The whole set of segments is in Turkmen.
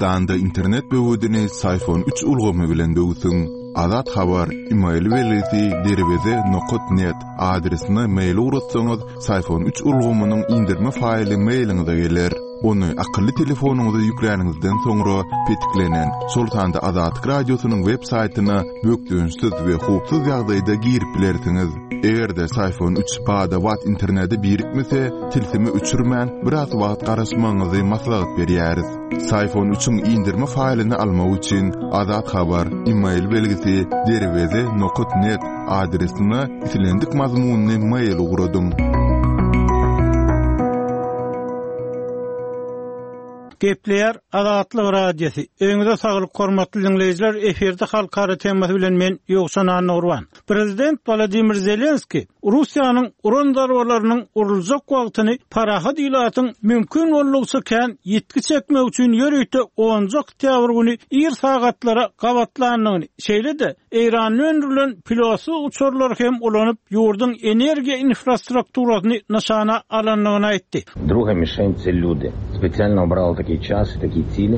Türkmenistanda internet böwedini Syfon üç ulgamy bilen böwsüň. Azat Habar, email belgisi derweze nokat net adresine mail ugratsaňyz, Syfon üç ulgamynyň indirme faýly mailiňize geler. Ony akylly telefonyňyza ýükläniňizden soňra petiklenen, şol sanda Azatlyk Radiosynyň web saýtyna bökdençsiz we howpsuz ýagdaýda girip bilersiňiz. Eger-de Syfon üç bada-bat internete birikmese, tilsimi öçürmän, biraz wagt garaşmagyňyzy maslahat berýäris. Syfon üçiň indirme faýlyny almak üçin Azat Habar, email belgisi, derweze nokat net adresine islendik mazmunly mail ugradyň. Gepleýär Azatlyk Radiosy. Öýüňize saglyk hormatly diňleýjiler, efirde halkara temasy bilen men Ýowşan Annagurban. Prezident Wolodymyr Zelenskiý Russiýanyň uran zarbalarynyň uruljak wagtyny parahat ilatyň mümkin boldugyça kän ýitgi çekmegi üçin ýörite onunjy oktýabr güni ir sagatlara gabatlandygyny, şeýle-de Eýranda öndürilen pilotsyz uçarlary hem ulanyp, ýurduň energiýa infrastrukturasyny nyşana alandygyny aýtdy. Druga mişen tse lýudi. Spesialno obrali takiý ças i takiý tsili.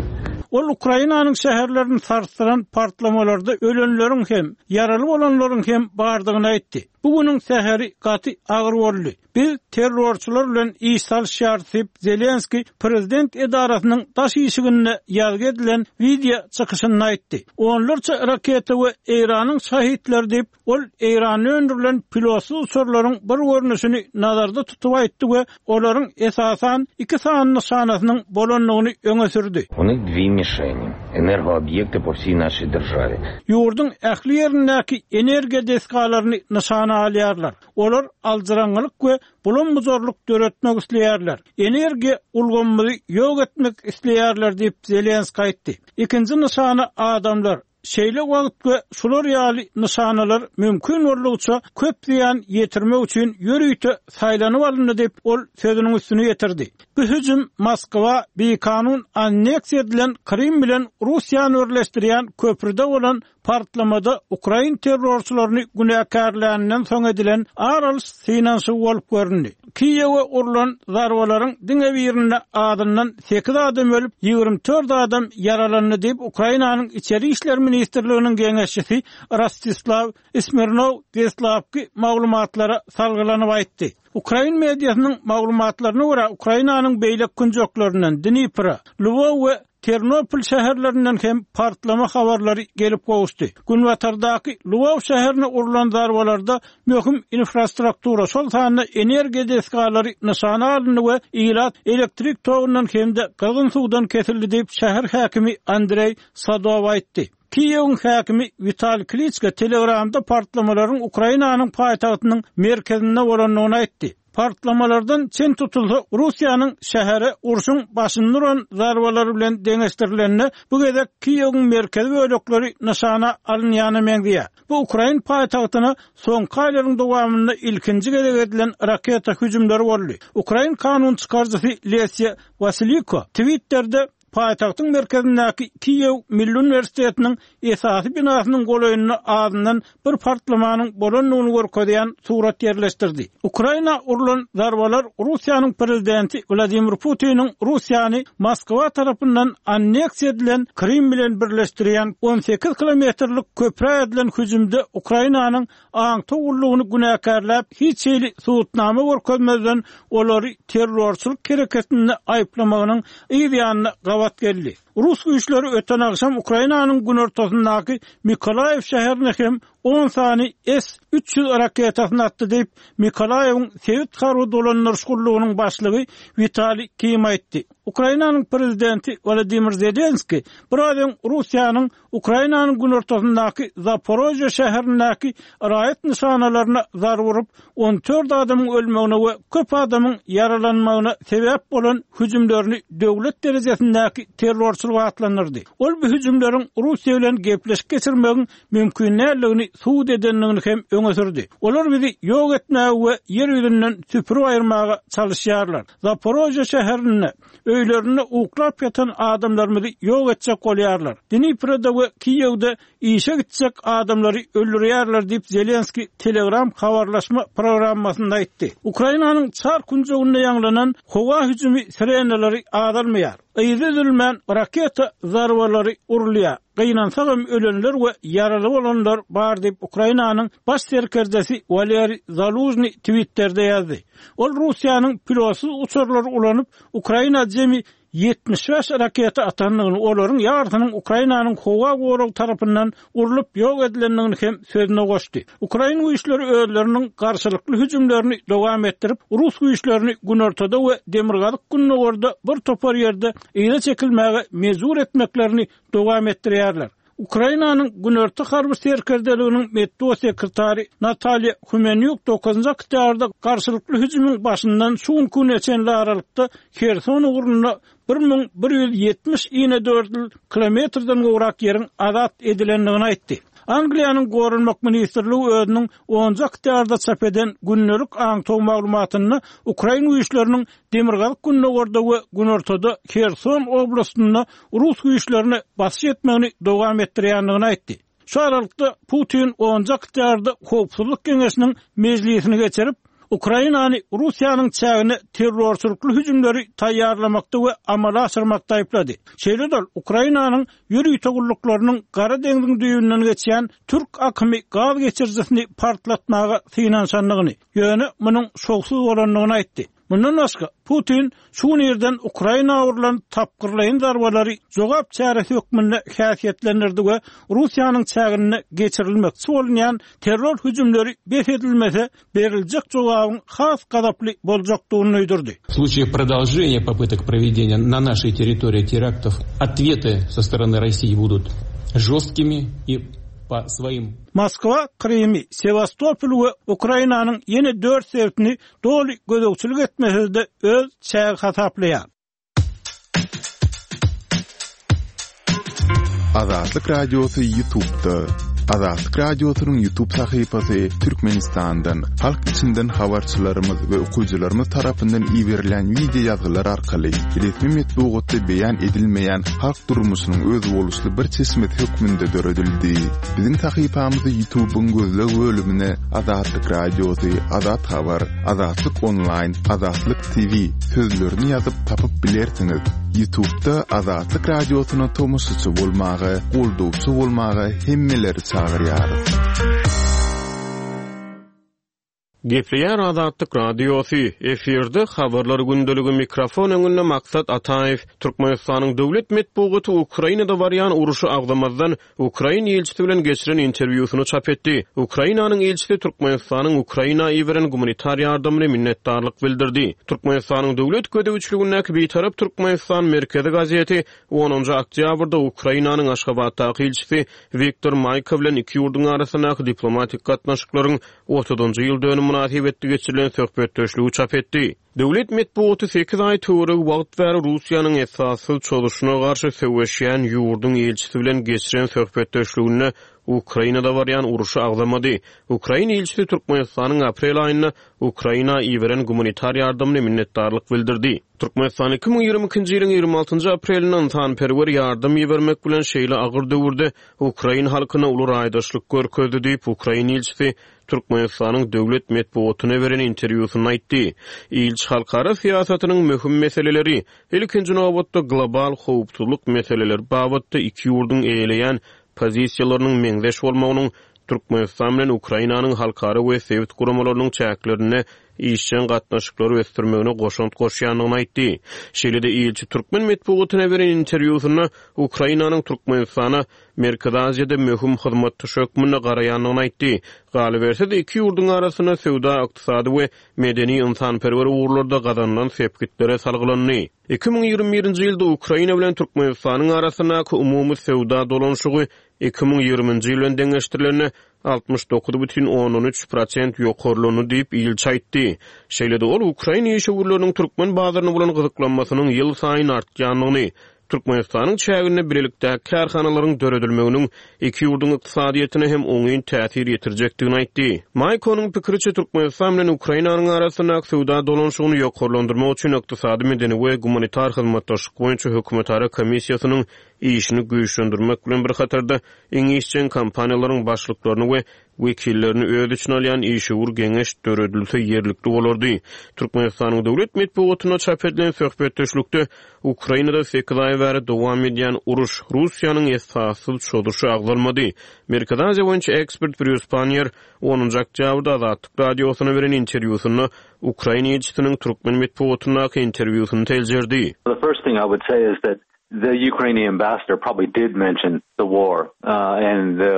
Ol Ukrainanyň şäherlerini sarsdyran partlamalarda ölenleriň hem, ýaraly bolanlaryň hem bardygyny aýtdy. Bu günüň säheri gaty agyr boldy. Biz terrorçylar bilen iş salyşýarys diýip, Zelenskiý prezident edarasynyň daş işiginde ýazgy edilen wideo çykyşynda aýtdy. Onlarça raketa we Eýranyň şahidleri diýip, ol Eýranda öndürilen pilotsyz uçarlaryň bir görnüşini nazarda tutup aýtdy we olaryň esasan iki sany nyşanasynyň bolandygyny öňe sürdi. U nih dwi mişeni, energoobýekty po wsiý naşiý deržawi. Ýurduň ähli ýerindäki energiýa desgalaryny nyşana alýarlar. Olar aljyraňňylyk we bulam-bujarlyk döretmek isleýärler. Energiýa ulgamymyzy ýok etmek isleýärler diýip, Zelenskiý aýtdy. Ikinji nyşana adamlar. Şeýle wagt we şular ýaly nyşanalar mümkin boldugyça köp zyýan ýetirmek üçin ýörite saýlanyp alyndy diýip, ol sözüniň üstüni ýetirdi. Bu hüjüm Moskwa bikanun anneksiýa edilen Krym bilen Russiýany birleşdirýän köprüde bolan partlamada ukrain terrorçylaryny günäkärläninden soň edilen ar alyş synanyşygy bolup göründi. Kiýewe urlan zarbalaryň diňe birinde azyndan sekiz adam ölüp, 24 adam ýaralandy diýip, Ukrainanyň Içeri işler ministrliginiň geňeşçisi Rostislaw Smirnow deslapky maglumatlara salgylanyp aýtdy. Ukrain mediasynyň maglumatlaryna görä, Ukrainanyň beýleki künjeklerinden, Dnipro, Lwow we Ternopil şäherlerinden hem partlama habarlary gelip gowuşdy. Günbatardaky Lwow şäherine urlan zarbalarda möhüm infrastruktura, şol sanda energiýa desgalary nyşana alyndy we ilat elektrik togundan hem-de gyzgyn suwdan kesildi diýip, şäher häkimi Andreý Sadow aýtdy. Kiýewiň häkimi Witaliý Kliçko Telegramda partlamalaryň Ukrainanyň paýtagtynyň merkezinde bolandygyny aýtdy. Partlamalardan çen tutulsa, Russiýanyň şähere urşuň başynda uran zarbalary bilen deňeşdirilende, bu gezek Kiýewiň merkezi bölekleri nyşana alynýana meňzeýär. Bu ukrain paýtagtyna soňky aýlaryň dowamynda ilkinji gezek edilen raketa hüjümleri boldy. Ukrain kanun çykaryjysy Lesýa Wasiliko Twitterde Paýtagtyň merkezindäki Kiýew Milli uniwersitetiniň esasy binasynyň golaýynda azyndan bir partlamanyň bolandygyny görkezýän surat ýerleşdirdi. Ukraina urlan zarbalar Russiýanyň prezidenti Wladimir Putiniň Russiýany Moskwa tarapyndan anneksiýa edilen Krym bilen birleşdirýän 18 kilometrlik köprä edilen hüjümde Ukrainanyň aňtaw gullugyny günäkärläp, hiç hili subutnama görkezmezden olary terrorçylyk hereketinde aýyplamagynyň yz ýanyna gabat geldi. Rus güýçleri öten agşam Ukrainanyň günortasyndaky Mykolaýiw şäherine hem on sany S 300 raketasyny atdy diýip, Mykolaýiwiň sebit harby dolandyryş gullugynyň başlygy Witaliý Kim aýtdy. Ukrainanyň prezidenti Wolodymyr Zelenskiý biraz öň Russiýanyň Ukrainanyň günortasyndaky Zaporožýe şäherindäki raýat nyşanalaryna zarba urup, 14 adamyň ölmegine we köp adamyň ýaralanmagyna sebäp bolan hüjümlerini döwlet derejesindäki terrorçylyk atlandyrdy. Ol bu hüjümleriň Russiýa bilen gepleşik geçirmegiň mümkin däldigini subut edendigini hem öňe sürdi. Olar bizi ýok etmäge we ýer ýüzünden süpürip aýyrmaga çalyşýarlar. Zaporožýe şäherinde Öýlerinde uklap ýatan adamlarymyzy ýok etjek bolýarlar. Dniproda we Kiýewde işe gitjek adamlary öldürýärler diýip, Zelenskiý Telegram habarlaşma programmasynda aýtdy. Ukrainanyň çar künjeginde ýaňlanan howa hüjümi sirenalary azalmaýar. Yzy üzülmän raketa zarbalary urulýar. Gynansagam ölenler we ýaraly bolanlar bar diýip, Ukrainanyň baş serkerdesi Waleriý Zalužnyý Twitterde ýazdy. Ol Russiýanyň pilotsyz uçarlary ulanyp, Ukraina jemi 75 raketa atandygyny, olaryň ýarysynyň Ukrainanyň howa goragy tarapyndan urlup ýok edilendigini hem sözüne goşdy. Ukrain güýçleri özleriniň garşylykly hüjümlerini dowam etdirip, rus güýçlerini günortada we demirgazyk-gündogarda bir topar ýerde yza çekilmäge mejbur etmeklerini dowam etdirýärler. Ukrainanyň Günorta harby serkerdeliginiň metbugat sekretary Natalýa Humenýuk dokuzynjy oktýabrda garşylykly hüjümiň başyndan şu günki güne çenli aralykda Herson ugrunda 1170 inedördül kilometrden gowrak ýeriň azat edilendigini aýtdy. Angliýanyň Goranmak ministrligi özüniň onunjy oktýabrda çap eden gündelik aňtaw maglumatynda ukrain güýçleriniň demirgazyk-gündogarda we günortada Herson oblastynda rus güýçlerine basyş etmegini dowam etdirýändigini aýtdy. Şu aralykda, Putin onunjy oktýabrda Howpsuzlyk geňeşiniň mejlisini geçirip, Ukrainany Russiýanyň çägine terrorçylykly hüjümleri taýýarlamakda we amala aşyrmakda aýyplady. Şeýle-de ol Ukrainanyň ýörite gulluklarynyň Gara deňziň düýbünden geçýän Türk akymy gaz geçirijisini partlatmaga synanyşandygyny, ýöne munuň şowsuz bolandygyny aýtdy. Mundan başga, Putin şu gün irden Ukraina urlan tapgyrlaýyn zarbalary jogap çäresi hökmünde häsiýetlendirdi we Russiýanyň çäginde geçirilmekçi bolunýan terror hüjümleri bes edilmese, beriljek jogabyň has gazaply boljakdygyny duýdurdy. В случае продолжения попыток проведения на нашей территории терактов ответы со стороны России будут жесткими и по своим Moskwa Krymy, Sewastopol we Ukrainanyň ýene dört sebitini doly gözegçilik etmese-de öz çägi hasaplaýar. Azatlyk Radiosy Ýutubda. Azatlyk Radiosynyň Ýutub sahypasy Türkmenistandan, halk içinden habarçylarymyz we okyjylarymyz tarapyndan iberilýän wideo ýazgylar arkaly resmi metbugatda beýan edilmeýän halk durmuşynyň özboluşly bir çeşmesi hökmünde döredildi. Biziň sahypamyzy Ýutubyň gözleg bölümine Azatlyk Radiosy, Azat Habar, Azatlyk Onlaýn, Azatlyk TV sözlerini ýazyp tapyp bilersiňiz. Ýutubda Azatlyk Radiosyna tomaşaçy bolmaga, goldawçy bolmaga hemmeleri çagyrýarys. Gepleýär Azatlyk Radiosy, efirde Habarlar gündeligi, mikrofon öňünde Maksat Ataýew. Türkmenistanyň döwlet metbugaty Ukrainada barýan uruşy agzamazdan, ukrain ilçisi bilen geçiren interwýusyny çap etdi. Ukrainanyň ilçisi Türkmenistanyň Ukraina iberen gumanitar ýardamyna minnetdarlyk bildirdi. Türkmenistanyň döwlet gözegçiligindäki Bitarap Türkmenistan merkezi gazeti onunjy oktýabrda Ukrainanyň Aşgabatdaky ilçisi Wiktor Maýko bilen iki ýurduň arasyndaky diplomatik gatnaşyklaryň otuzynjy ýyl dönümi mynasybetli geçirilen söhbetdeşligi çap etdi. Döwlet metbugaty sekiz aý töweregi wagt bäri Russiýanyň esassyz çozuşyna garşy söweşýän ýurduň ilçisi bilen geçiren söhbetdeşliginde Ukrainada barýan urşy agzamady. Ukrain ilçisi Türkmenistanyň aprel aýynda Ukraina iberen gumanitar ýardamyna minnetdarlyk bildirdi. Türkmenistan 2022-nji ýylyň 26-njy aprelinde ynsanperwer ýardam ibermek bilen şeýle agyr döwürde ukrain halkyna uly raýdaşlyk görkezdi diýip, ukrain ilçisi Türkmenistanyň döwlet metbugatyna beren interwýusynda aýtdy. Ilçi halkara syýasatynyň möhüm meseleleri, ilkinji nobatda global howpsuzlyk meseleleri babatda iki ýurduň eýeleýän pozisiýalarynyň meňzeş bolmagynyň Türkmenistan bilen Ukrainanyň halkara we sebit guramalarynyň çäklerinde işjeň gatnaşyklary ösdürmegine goşant goşýandygyny aýtdy. Şeýle-de ilçi türkmen metbugatyna beren interwýusynda Ukrainanyň Türkmenistana Merkezi Aziýada möhüm hyzmatdaş hökmünde garaýandygyny aýtdy. Galyberse-de, iki ýurduň arasynda söwda-ykdysady we medeni-ynsanperwer ugurlarda gazanylan sepgitlere salgylandy. 2021-nji ýylda Ukraina bilen Türkmenistanyň arasyndaky umumy söwda dolanyşygy 2020-nji ýyl bilen deňeşdirilende 69,3 prosent ýokarlandy diýip, ilçi aýtdy. Şeýle-de ol ukrain işewürleriniň türkmen bazaryna bolan gyzyklanmasynyň ýylsaýyn artýandygyny, Türkmenistanyň çäginde bilelikdäki kärhanalaryň döredilmeginiň iki ýurduň ykdysadyýetine hem oňyn täsir ýetirjekdigini aýtdy. Maýkonyň pikiriçe, Türkmenistan bilen Ukrainanyň arasyndaky söwda dolanyşygyny ýokarlandyrmak üçin Ykdysady, medeni we gumanitar hyzmatdaşlyk boýunça hökümetara komissiýasynyň işini güýçlendirmek bilen bir hatarda, iň işjeň kompaniýalaryň başlyklaryny we. wekillerini öz içine alýan işewür geňeş döredilse ýerlikli bolardy. Türkmenistanyň döwlet metbugatynda çap edilen söhbetdeşlikde Ukrainada sekiz aý bäri dowam edýän uruş, Russiýanyň esassyz çozuşy agzalmady. Merkezi Aziýa boýunça ekspert Brýus Panniýer onunjy oktýabrda Azatlyk Radiosyna beren interwýusynda ukrain ilçisiniň türkmen metbugatyndaky interwýusyny seljerdi. The first thing I would say is that the Ukrainian ambassador probably did mention the war and the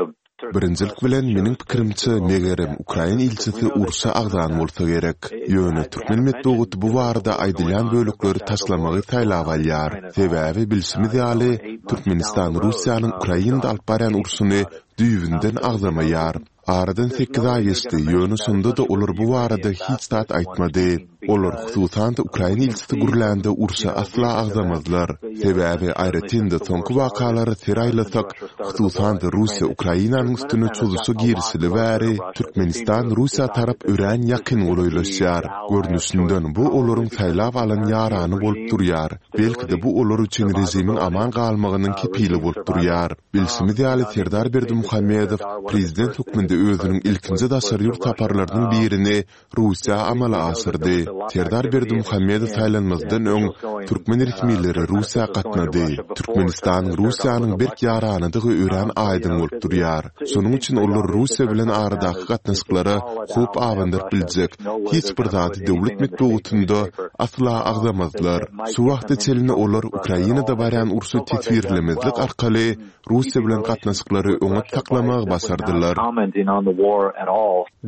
Birinjilik bilen, meniň pikirimçe, megerem, ukrain ilçisi urşy agzan bolsa gerek. Ýöne türkmen metbugaty bu barada aýdylýan bölekleri taşlamagy saýlap alýar. Sebäbi, bilşimiz ýaly, Türkmenistan Russiýanyň Ukrainada alyp barýan urşuny düýbünden agzamaýar. Aradan sekiz aý geçdi, ýöne şonda-da olar bu barada hiç zat aýtmady. Olar, hususan-da, ukrain ilçisi gürlände urşy asla agzamazlar. Sebäbi, aýratyn-da, soňky wakalara ser aýlasak, hususan-da, Russiýa Ukrainanyň üstüne çozuşa girişeli bäri, Türkmenistan Russiýa tarap örän ýakyn golaýlaşýar. Görnüşinden, bu olaryň saýlap alan ýarany bolup durýar. Belki-de, bu olar üçin režimiň aman galmagynyň kepili bolup durýar. Bilşimiz ýaly, Serdar Berdimuhamedow prezident hökmünde özüniň ilkinji daşary ýurt saparlarynyň birini Russiýa amala aşyrdy. Serdar Berdimuhamedow saýlanmazdan öň, türkmen resmileri Russiýa gatnady. Türkmenistanyň Russiýanyň berk ýaranydygy örän aýdyň bolup durýar. Şonuň üçin olar Russiýa bilen aradaky gatnaşyklara howp abandyryp biljek hiç bir zady döwlet metbugatynda asla agzamazlar. Şu wagta çenli olar Ukrainada barýan urşy teswirlemezlik arkaly Russiýa bilen gatnaşyklary oňat saklamagy başardylar.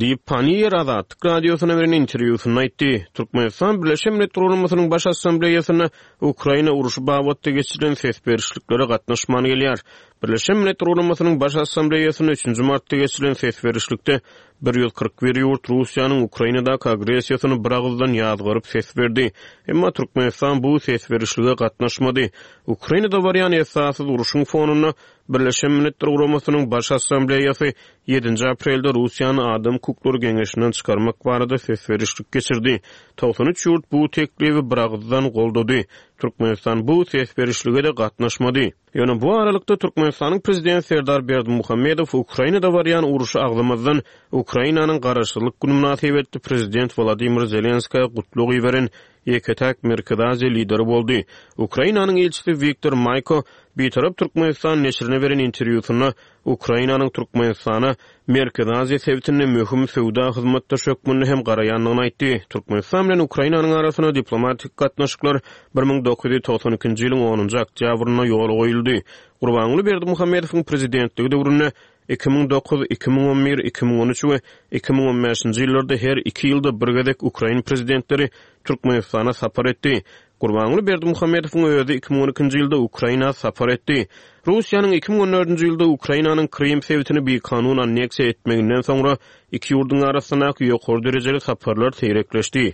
Diýip, Panniýer Azatlyk Radiosyna beren interwýusynda aýtdy. Türkmenistan Birleşen Milletler Guramasynyň Baş Assambleýasynda Ukraina urşy babatda geçirilen ses berişliklere gatnaşman gelýär. Birleşen Milletler Guramasynyň Baş Assambleýasynda üçünji martda geçirilen ses berişlikde 141 ýurt Russiýanyň Ukrainadaky agressiýasyny biragyzdan ýazgaryp ses berdi. Emma Türkmenistan bu ses berişlige gatnaşmady. Ukrainada barýan esassyz urşuň fonunda Birleşen Milletler Guramasynyň Baş Assambleýasy ýedinji aprelde Russiýany Adam hukuklary geňeşinden çykarmak barada ses berişlik geçirdi. 93 ýurt bu teklibi biragyzdan goldady. Türkmenistan bu ses berişlige-de gatnaşmady. Ýöne bu aralykda Türkmenistanyň Prezidenti Serdar Berdimuhamedow Ukrainada barýan urşy agzamazdan, Ukrainanyň Garaşsyzlyk güni mynasybetli Prezident Wolodymyr Zelenskä gutlag iberen ýeke-täk Merkezi Aziýa lideri boldy. Ukrainanyň ilçisi Wiktor Maýko Bitarap Türkmenistan neşirine beren interwýusynda Ukrainanyň Türkmenistana Merkezi Aziýa sebitinde möhüm söwda hyzmatdaşy hökmünde hem garaýandygyny aýtdy. Türkmenistan bilen Ukrainanyň arasynda diplomatik gatnaşyklar 1992-nji ýylyň onunjy oktýabrynda ýola goýuldy. Gurbanguly Berdimuhamedowyň prezidentligi döwründe 2009, 2011, 2013 we 2015-nji ýyllarda her iki ýylda bir gezek ukrain prezidentleri Türkmenistana sapar etdi. Gurbanguly Berdimuhamedowyň özi 2012-nji ýylda Ukraina sapar etdi. Russiýanyň 2014-nji ýylda Ukrainanyň Krym sebitini bikanun anneksiýa etmeginden soňra iki ýurduň arasyndaky ýokary derejeli saparlar seýrekleşdi.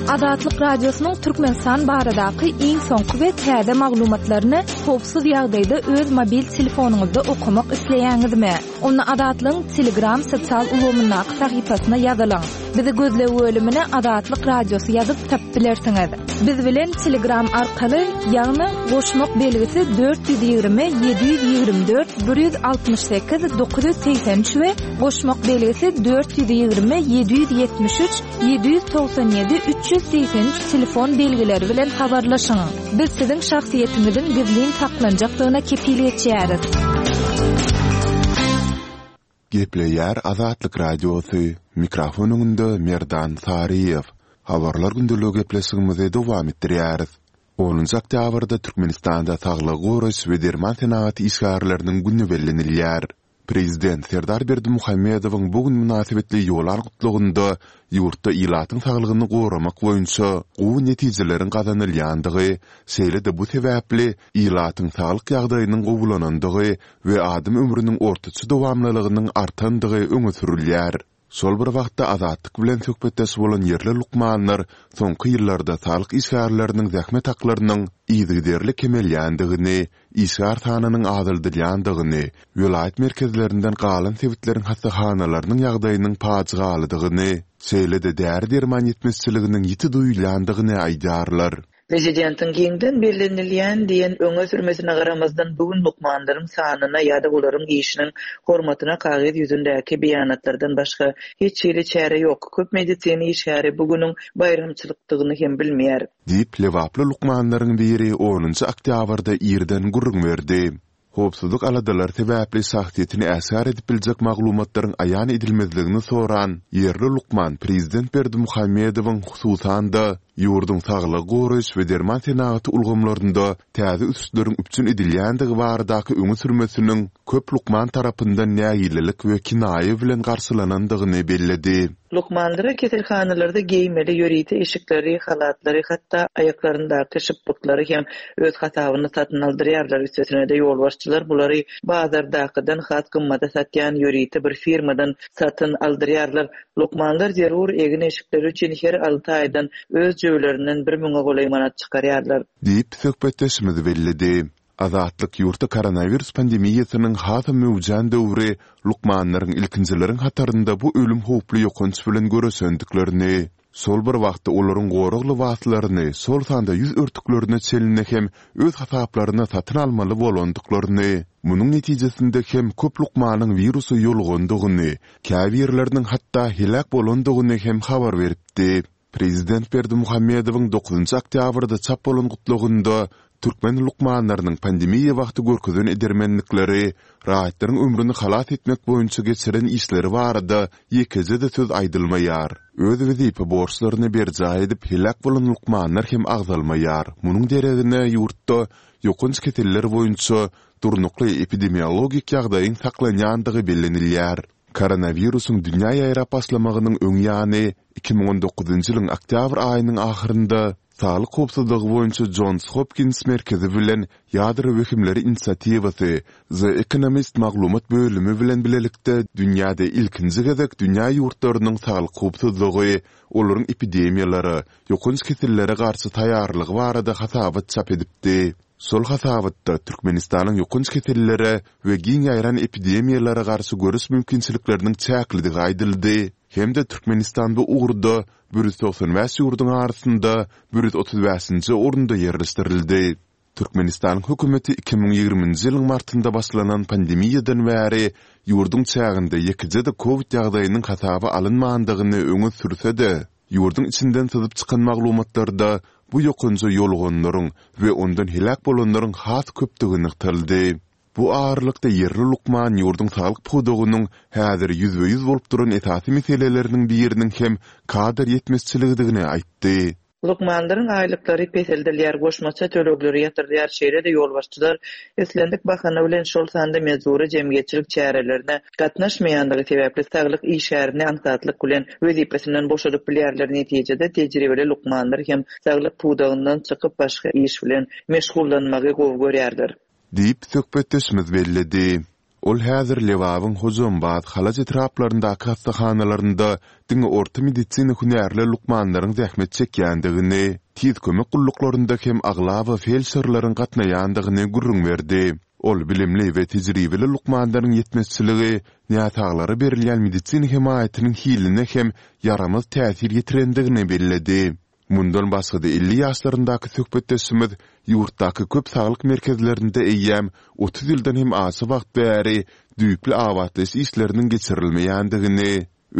Azatlyk Radiosynyň Türkmenistan baradaky iň soňky we täze maglumatlaryny howpsuz ýagdaýda öz mobil telefonyňyzda okamak isleýäňizmi? Onda Azatlygyň Telegram sosial ulgamyndaky sahypasyna ýazylyň. Bizi gözleg bölümine Azatlyk Radiosy ýazyp tapyp bilersiňiz. Biz bilen Telegram arkaly, ýagny goşmak belgisi 420 724 168 983 we goşmak belgisi 420 773 797 383 telefon belgileri bilen habarlaşyň. Biz siziň şahsyýetiňiziň gizlin saklanjakdygyna kepil geçýäris. Gepleýär Azatlyk Radiosy, mikrofon öňünde Merdan Saryýew. Habarlar gündeligi gepleşigimizi dowam etdirýäris. Onunjy oktýabrda Türkmenistanda Saglygy goraýyş we derman senagaty işgärleriniň güni bellenilýär. Prezident Serdar Berdimuhamedowyň bu gün mynasybetli ýolan gutlagynda ýurtda ilatyň saglygyny goramak boýunça gowy netijeleriň gazanylýandygy, şeýle-de bu sebäpli ilatyň saglyk ýagdaýynyň gowulanandygy we adam ömrüniň ortaça dowamlylygynyň artandygy öňe sürülýär. Şol bir wagtda Azatlyk bilen söhbetdeş bolan ýerli lukmanlar soňky ýyllarda saglyk işgärleriniň zähmet haklarynyň yzygiderli kemelýändigini, işgär sanynyň azaldylýandygyny, welaýat merkezlerinden galan sebitleriň hassahanalarynyň ýagdaýynyň pajygalydygyny, şeýle-de däri-derman ýetmezçiliginiň ýiti duýulýandygyny aýdýarlar. Prezidentiň giňden bellenilýän diýen öňe sürmesine garamazdan, bu gün lukmanlaryň sanyna ýa-da olaryň işiniň hormatyna kagyz ýüzündäki beýanatlardan başga hiç hili çäre ýok. Köp medisina işgäri bu günüň baýramçylykdygyny hem bilmeýär. Diýip, lebaply lukmanlaryň biri onunjy oktýabrda irden gürrüň berdi. Howpsuzlyk aladalary sebäpli şahsyýetini äşgär edip biljek maglumatlaryň aýan edilmezligini soran ýerli lukman prezident Berdimuhamedowyň hususan-da, ýurduň saglygy goraýyş we derman senagaty ulgamlarynda täze ösüşleriň üpjün edilýändigi baradaky öňe sürmesiniň köp lukman tarapyndan nägilelik we kinaýa bilen garşylanandygyny belledi. Lukmanlara keselhanalarda geýmeli ýörite eşikleri, halatlary, hatda aýaklaryndaky şypbyklary hem öz hasabyna satyn aldyrýarlar. Üstesine-de, ýolbaşçylar bulary bazardakydan has gymmada satýan ýörite bir firmadan satyn aldyrýarlar. Lukmanlar zerur egin-eşikleri üçin her alty aýdan öz jübülerinden bir müňe golaý manat çykarýarlar. Diýip, söhbetdeşimiz belledi. Azatlyk ýurtda koronawirus pandemiýasynyň hasam möwjän döwri lukmanlaryň ilkinjileriň hatarynda bu ölüm howply ýokanç bilen göreşendiklerini, şol bir wagtda olaryň gorag lybaslaryny, şol sanda ýüz örtüklerine çenli hem öz hasaplaryna satyn almaly bolandyklaryny, munuň netijesinde hem köp lukmanyň wirusa ýolugandygyny, käbirleriniň hatda heläk bolandygyny hem habar beripdi. Prezident Berdimuhamedowyň dokuzynjy oktýabrda çap bolan gutlagynda türkmen lukmanlarynyň pandemiýa wagty görkezen edermenlikleri, raýatlaryň ömrüni halas etmek boýunça geçiren işleri barada ýekeje-de söz aýdylmaýar. Öz wezipe borçlaryny berjaý edip heläk bolan lukmanlar hem agzalmaýar. Munuň deregine ýurtda ýokanç keseller boýunça durnukly epidemiologik ýagdaýyň saklanýandygy bellenilýär. Koronawirusyň dünýä ýaýrap başlamagynyň öň ýany, 2019-njy ýylyň oktýabr aýynyň ahyrynda Saglyk howpsuzlygy boýunça Jons Hopkins merkezi bilen Ýadro wehimleri inisiatiwasy The Economist maglumat bölümi bilen bilelikde dünýäde ilkinji gezek dünýä ýurtlarynyň saglyk howpsuzlygy, olaryň epidemiýalara, ýokanç kesellere garşy taýýarlygy barada hasabat çap edipdi. Şol hasabatda Türkmenistanyň ýokanç kesellere we giň ýaýran epidemiýalara garşy göreş mümkinçilikleriniň çäklidigi aýdyldy hem-de Türkmenistan bu ugurda 195 ýurduň arasynda 135-nji orunda ýerleşdirildi. Türkmenistanyň hökümeti 2020-nji ýylyň martynda başlanan pandemiýadan bäri ýurduň çäginde ýekeje-de kowid ýagdaýynyň hasaba alynmandygyny öňe sürse-de, Ýurduň içinden syzyp çykan maglumatlarda bu ýokanja ýoluganlaryň we ondan heläk bolanlaryň has köpdügi nygtaldy. Bu aralykda ýerli lukman ýurduň saglyk pudagynyň häzir ýüzbe-ýüz bolup duran esasy meseleleriniň biriniň hem kadr ýetmezçiligidigini aýtdy. Lukmanlaryň aýlyklary peseldilýär, goşmaça tölegleri ýatyrylýar, şeýle-de ýolbaşçylar islendik bahana bilen, şol sanda mejbury jemgyýetçilik çärelerine gatnaşmaýanlygy sebäpli saglyk işgärini aňsatlyk bilen wezipesinden boşadyp bilýärler. Netijede, tejribeli lukmanlar hem saglyk pudagyndan çykyp, başga iş bilen meşgullanmagy gowy görýärler. Diýip, söhbetdeşimiz belledi. Ol häzir Lebabyň Hojambaz, Halaç etraplaryndaky hassahanalarynda diňe orta medisina hünärli lukmanlaryň zähmet çekýändigini, tiz kömek gulluklarynda hem aglaba feldşerleriň gatnaýandygyny gürrüň berdi. Ol bilimli we tejribeli lukmanlaryň ýetmezçiligi näsaglara berilýän medisina hemaýatynyň hiline hem ýaramaz täsir ýetirendigini belledi. Mundan başga-da 50 ýaşlaryndaky söhbetdeşimiz ýurtdaky köp saglyk merkezlerinde eýýäm 30 ýyldan hem aşa wagt bäri düýpli abatlaýyş işleriniň geçirilmeýändigini,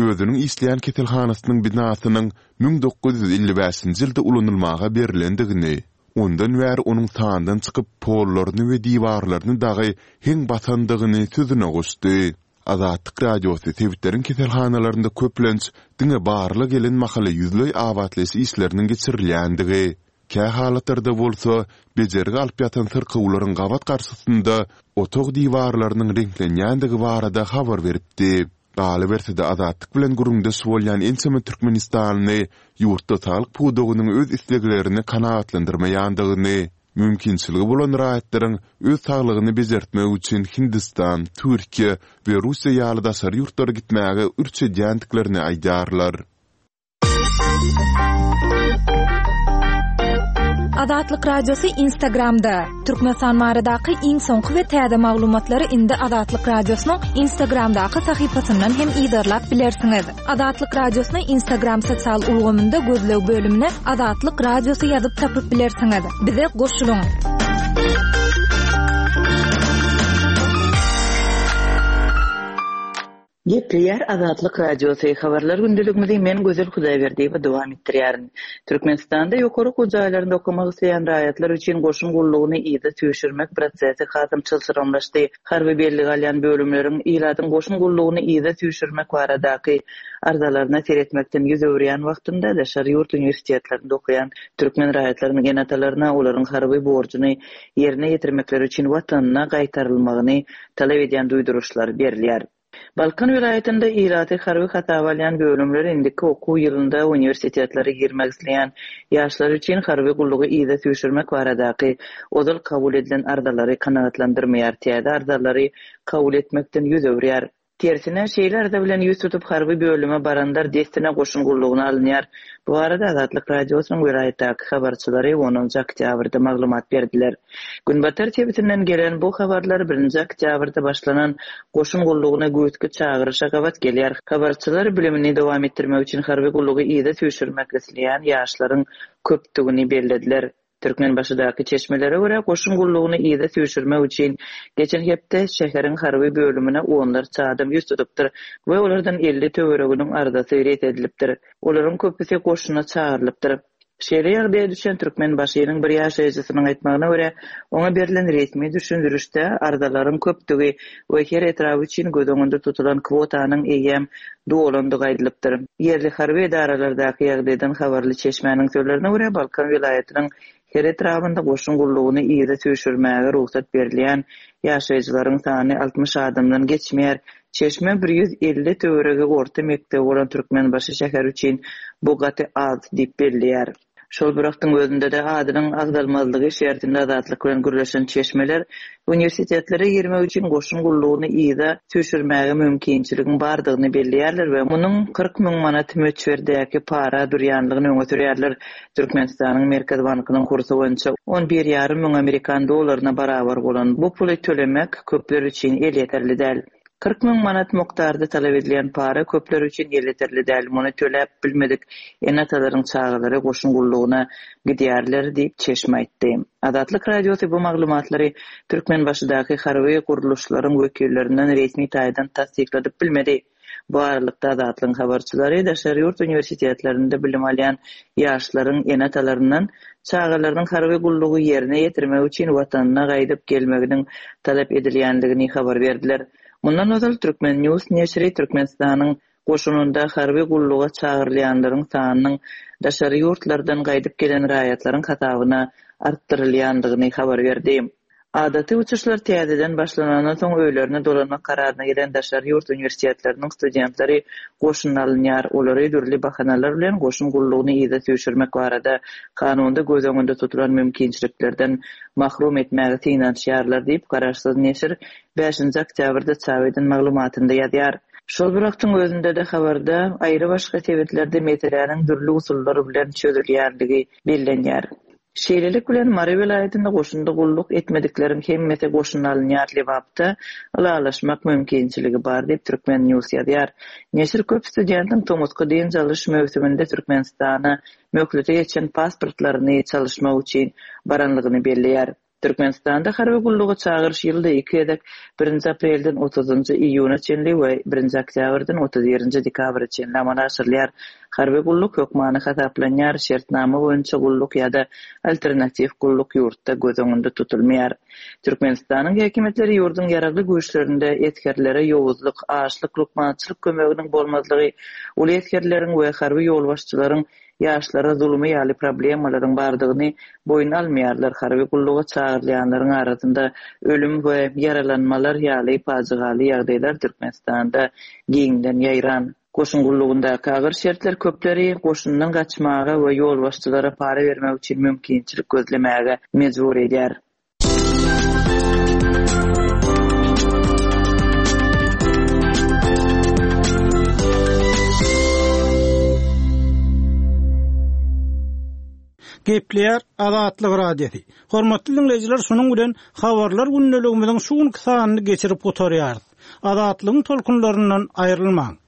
özüniň işleýän keselhanasynyň binasynyň 1955-nji ýylda ulanylmaga berlendigini, ondan bäri onuň sandan çykyp pollaryny we diwarlaryny dagy heň basandygyny sözüne goşdy. Azatlyk Radiosy sebitleriň keselhanalarynda köplenç diňe barlag gelen mahaly ýüzleý abatlaýyş işleriniň geçirilýändigi, kä halatlarda bolsa bejergi alyp ýatan syrkawlaryň gabat garşysynda otag diwarlarynyň reňklenýändigi barada habar beripdi. Galyberse-de, Azatlyk bilen gürrüňdeş bolýan ençeme türkmenistanly ýurtda saglyk pudagynyň öz isleglerini kanagatlandyrmaýandygyny, Mümkinçiligi bolan raýatlaryň öz saglygyny bejertmek üçin Hindistan, Türkiýe we Russiýa ýaly daşary ýurtlara gitmäge ürç edýändiklerini aýdýarlar. Azatlyk Radiosy Instagramda, Türkmenistan baradaky iň soňky we täze maglumatlary indi Azatlyk Radiosynyň Instagramdaky sahypasyndan hem yzarlap bilersiňiz. Azatlyk Radiosyny Instagram sosial ulgamynda gözleg bölümine Azatlyk Radiosy ýazyp tapyp bilersiňiz. Bize goşulyň! Gepleýär Azatlyk Radiosy, Habarlar gündeligimizi men Gözel Hudaýberdiýewa dowam etdirýärin. Türkmenistanda ýokary okuw jaýlarynda okamak isleýän raýatlar üçin goşun gullugyny yza süýşürmek prosesi hasam çylşyrymlaşdy. Harby bellige alýan bölümleriň ilatyň goşun gullugyny yza süýşürmek baradaky arzalaryna seretmekden ýüz öwürýän wagtynda daşary ýurt uniwersitetlerinde okaýan türkmen raýatlarynyň ene-atalaryna olaryň harby borjuny ýerine ýetirmekleri üçin watanyna gaýtarylmagyny talap edýän duýduryşlar berilýär. Balkan welaýatynda ilaty harby hasaba alýan bölümler indiki okuw ýylynda uniwersitetlere girmek isleýän ýaşlar üçin harby gullugy yza süýşürmek baradaky ozal kabul edilen arzalary kanagatlandyrmaýar, täze arzalary kabul etmekden ýüz öwürýär. Tersine, şeýle arza bilen ýüz tutup harby bölüme baranlar dessine goşun gullugyna alynýar. Bu barada Azatlyk Radiosynyň welaýatdaky habarçylary onunjy oktýabrda maglumat berdiler. Günbatar sebitinden gelen bu habarlar birinji oktýabrda başlanan goşun gullugyna güýzki çagyryşa gabat gelýär. Habarçylar bilimini dowam etdirmek üçin harby gullugy yza süýşürmek isleýän ýaşlaryň köpdügini bellediler. Türkmenbaşydaky çeşmelere görä, goşun gullugyny yza süýşürmek üçin geçen hepde şäheriň harby bölümine onlarça adam ýüz tutupdyr we olardan 50 töwereginiň arzasy ret edilipdir. Olaryň köpüsi goşuna çagyrylypdyr. Şeýle ýagdaýa düşen Türkmenbaşynyň bir ýaşaýjysynyň aýtmagyna görä, oňa berlen resmi düşündirişde arzalaryň köpdügi we her etrap üçin göz öňünde tutulan kwotanyň eýýäm dolandygy aýdylypdyr. Ýerli harby edaralardaky ýagdaýdan habarly çeşmäniň sözlerine görä, Balkan welaýatynyň her etrabynda goşun gullugyny yza süýşürmäge rugsat berilýän ýaşaýjylaryň sany 60 adamdan geçmeýär. Çeşme 150 töweregi orta mekdebi bolan Türkmenbaşy şäheri üçin bu gaty az diýip belleýär. Şol bir wagtyň özünde-de adynyň agzalmazlygy şertinde Azatlyk bilen gürleşen çeşmeler uniwersitetlere girmek üçin goşun gullugyny yza süýşürmäge mümkinçiligiň bardygyny belleýärler we munuň 40 müň manat möçberdäki para durýanlygyny öňe sürýärler. Türkmenistanyň Merkezi bankynyň kursy boýunça on bir ýarym müň amerikan dollaryna barabar bolan bu puly tölemek köpler üçin elýeterli däl. 40 müň manat mukdarda talap edilýän para köpler üçin elýeterli däl, muny töläp bilmedik ene-atalaryň çagalary goşun gullugyna gidýärler diýip, çeşme aýtdy. Azatlyk Radiosy bu maglumatlary Türkmenbaşydaky harby gurluşlaryň wekillerinden resmi taýdan tassykladyp bilmedi. Bu aralykda, Azatlygyň habarçylary daşary ýurt uniwersitetlerinde bilim alýan ýaşlaryň ene-atalaryndan çagalarynyň harby gullugy ýerine ýetirmek üçin watanyna gaýdyp gelmeginiň talap edilýändigini habar berdiler. Mundan ozal, Turkmen. News neşiri Türkmenistanyň goşunynda harby gulluga çagyrylýanlaryň sanynyň daşary ýurtlardan gaýdyp gelen raýatlaryň hasabyna artdyrylýandygyny habar berdi. Adaty uçuşlar täzeden başlanandan soň öýlerine dolanmak kararyna gelen daşary ýurt uniwersitetleriniň studentleri goşuna alynýar. Olary dürli bahanalar bilen goşun gullugyny yza süýşürmek barada kanunda göz öňünde tutulan mümkinçiliklerden mahrum etmäge synanyşýarlar diýip, garaşsyz neşir bäşinji oktýabrda çap eden maglumatynda ýazýar. Şol bir wagtyň özünde-de habarda aýry-başga sebitlerde meseläniň dürli usullar bilen çözülýänligi bellenýär. Şeýlelik bilen, Mary welaýatynda goşunda gulluk etmedikleriň hemmesi goşuna alynýar, Lebapda ylalaşmak mümkinçiligi bar diýip, Turkmen. News ýazýar. Neşir köp studentiň tomusky dynç alyş möwsüminde Türkmenistana möhleti geçen pasportlaryny çalyşmak üçin baranlygyny belleýär. Türkmenistanda harby gulluga çagyryş ýylda iki gezek, birinji aprelden otuzynjy iýuna çenli we birinji oktýabrdan 31-nji dekabra çenli amala aşyrylýar. Harby gulluk hökmany hasaplanýar, şertnama boýunça gulluk ýa-da alternatiw gulluk ýurtda göz öňünde tutulmaýar. Türkmenistanyň häkimiýetleri ýurduň Ýaragly Güýçlerinde esgerlere ýowuzlyk, açlyk, lukmançylyk kömeginiň bolmazlygy, uly esgerleriň we harby ýolbaşçylaryň ýaşlara zulumy ýaly problemalaryň bardygyny boýun almaýarlar, harby gulluga çagyrylýanlaryň arasynda ölüm we ýaralanmalar ýaly pajygaly ýagdaýlar Türkmenistanda giňden ýaýran. Goşun gullugyndaky agyr şertler köpleri goşundan gaçmaga we ýolbaşçylara para bermek üçin mümkinçilik gözlemäge mejbur edýär. Gepleýär Azatlyk Radiosy. Hormatly diňleýjiler, şunuň bilen Habarlar gündeligimiziň şu günki sanyny geçirip gutarýarys. Azatlygyň tolkunlaryndan aýrylmaň!